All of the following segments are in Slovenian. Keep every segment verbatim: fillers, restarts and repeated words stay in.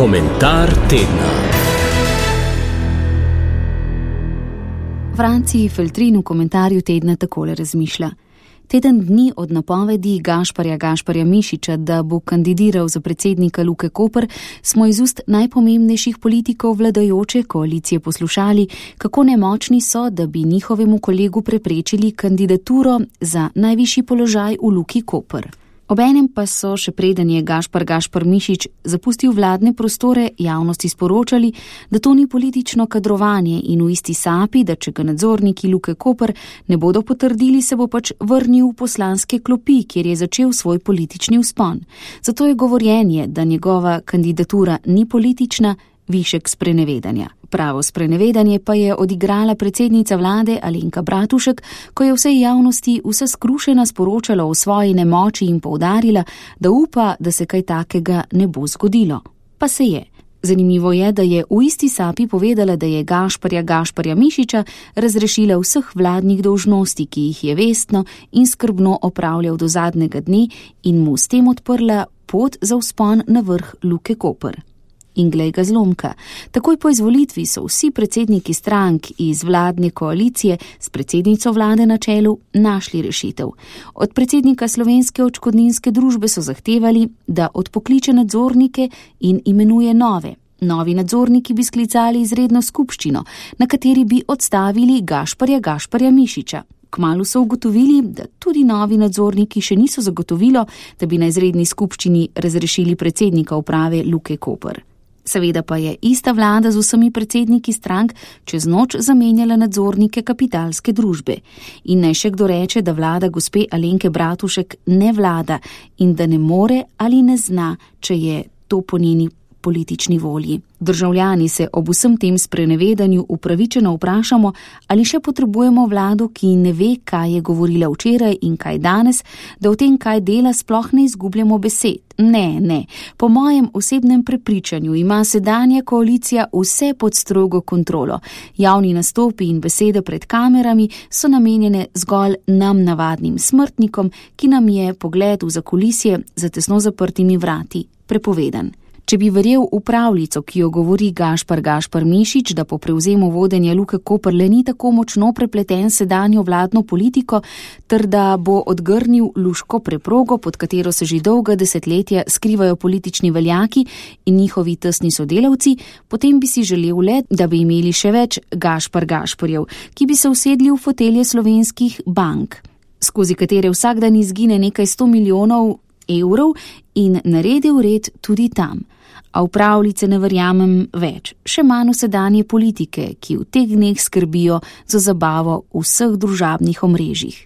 Komentar tedna. Franci Feltrin v komentarju tedna takole razmišlja. Teden dni od napovedi Gašparja Gašparja Mišiča, da bo kandidiral za predsednika Luke Koper, smo iz ust najpomembnejših politikov vladajoče koalicije poslušali, kako nemočni so, da bi njihovemu kolegu preprečili kandidaturo za najvišji položaj v Luki Koper. Obenem pa so, še preden je Gašpar Gašpar Mišič zapustil vladne prostore, javnosti sporočali, da to ni politično kadrovanje in v isti sapi, da če ga nadzorniki Luke Koper ne bodo potrdili, se bo pač vrnil v poslanske klopi, kjer je začel svoj politični vzpon. Zato je govorjenje, da njegova kandidatura ni politična, višek sprenevedanja. Pravo sprenevedanje pa je odigrala predsednica vlade Alenka Bratušek, ko je vsej javnosti vsa skrušena sporočala o svoji nemoči in poudarila, da upa, da se kaj takega ne bo zgodilo. Pa se je. Zanimivo je, da je v isti sapi povedala, da je Gašparja Gašparja Mišiča razrešila vseh vladnih dolžnosti, ki jih je vestno in skrbno opravljal do zadnjega dne in mu s tem odprla pot za vzpon na vrh Luke Koper. In glej ga zlomka. Takoj po izvolitvi so vsi predsedniki strank iz vladne koalicije s predsednico vlade na čelu našli rešitev. Od predsednika Slovenske odškodninske družbe so zahtevali, da odpokliče nadzornike in imenuje nove. Novi nadzorniki bi sklicali izredno skupščino, na kateri bi odstavili Gašparja Gašparja Mišiča. Kmalu so ugotovili, da tudi novi nadzorniki še niso zagotovilo, da bi na izredni skupščini razrešili predsednika uprave Luke Koper. Seveda pa je ista vlada z vsemi predsedniki strank čez noč zamenjala nadzornike kapitalske družbe. In naj še kdo reče, da vlada gospe Alenke Bratušek ne vlada in da ne more ali ne zna, če je to po njeni politični volji. Državljani se ob vsem tem sprenevedanju upravičeno vprašamo, ali še potrebujemo vlado, ki ne ve, kaj je govorila včeraj in kaj danes, da o tem, kaj dela, sploh ne izgubljamo besed. Ne, ne. Po mojem osebnem prepričanju ima sedanja koalicija vse pod strogo kontrolo. Javni nastopi in besede pred kamerami so namenjene zgolj nam navadnim smrtnikom, ki nam je pogled v zakulisje za tesno zaprtimi vrati prepovedan. Če bi verjel v pravljico, ki jo govori Gašpar Gašpar Mišič, da po prevzemu vodenja Luke Koper le ni tako močno prepleten sedanjo vladno politiko, ter da bo odgrnil luško preprogo, pod katero se že dolga desetletja skrivajo politični veljaki in njihovi tesni sodelavci, potem bi si želel le, da bi imeli še več Gašpar Gašparjev, ki bi se usedli v fotelje slovenskih bank, skozi katere vsak dan izgine nekaj sto milijonov evrov in naredil red tudi tam. A v pravljice ne verjamem več, še manj v sedanje politike, ki v teh dneh skrbijo za zabavo v vseh družabnih omrežjih.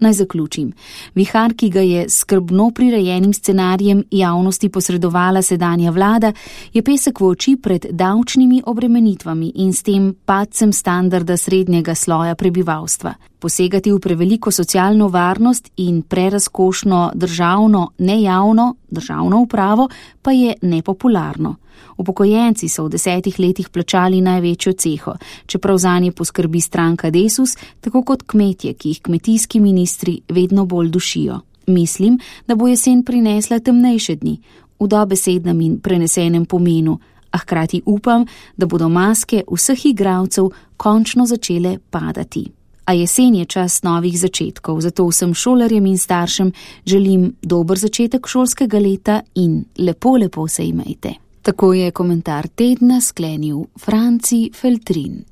Naj zaključim. Vihar, ki ga je skrbno prirejenim scenarijem javnosti posredovala sedanja vlada, je pesek v oči pred davčnimi obremenitvami in s tem padcem standarda srednjega sloja prebivalstva. Posegati v preveliko socialno varnost in prerazkošno državno, nejavno, državno upravo pa je nepopularno. Upokojenci so v desetih letih plačali največjo ceho, čeprav zanje poskrbi stranka Desus, tako kot kmetje, ki jih kmetijski ministri vedno bolj dušijo. Mislim, da bo jesen prinesla temnejše dni, v dobesednem in prenesenem pomenu, a hkrati upam, da bodo maske vseh igralcev končno začele padati. A jesen je čas novih začetkov, zato vsem šolarjem in staršem želim dober začetek šolskega leta in lepo, lepo se imejte. Tako je komentar tedna sklenil Franci Feltrin.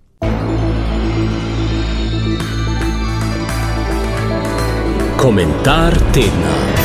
Komentar tedna.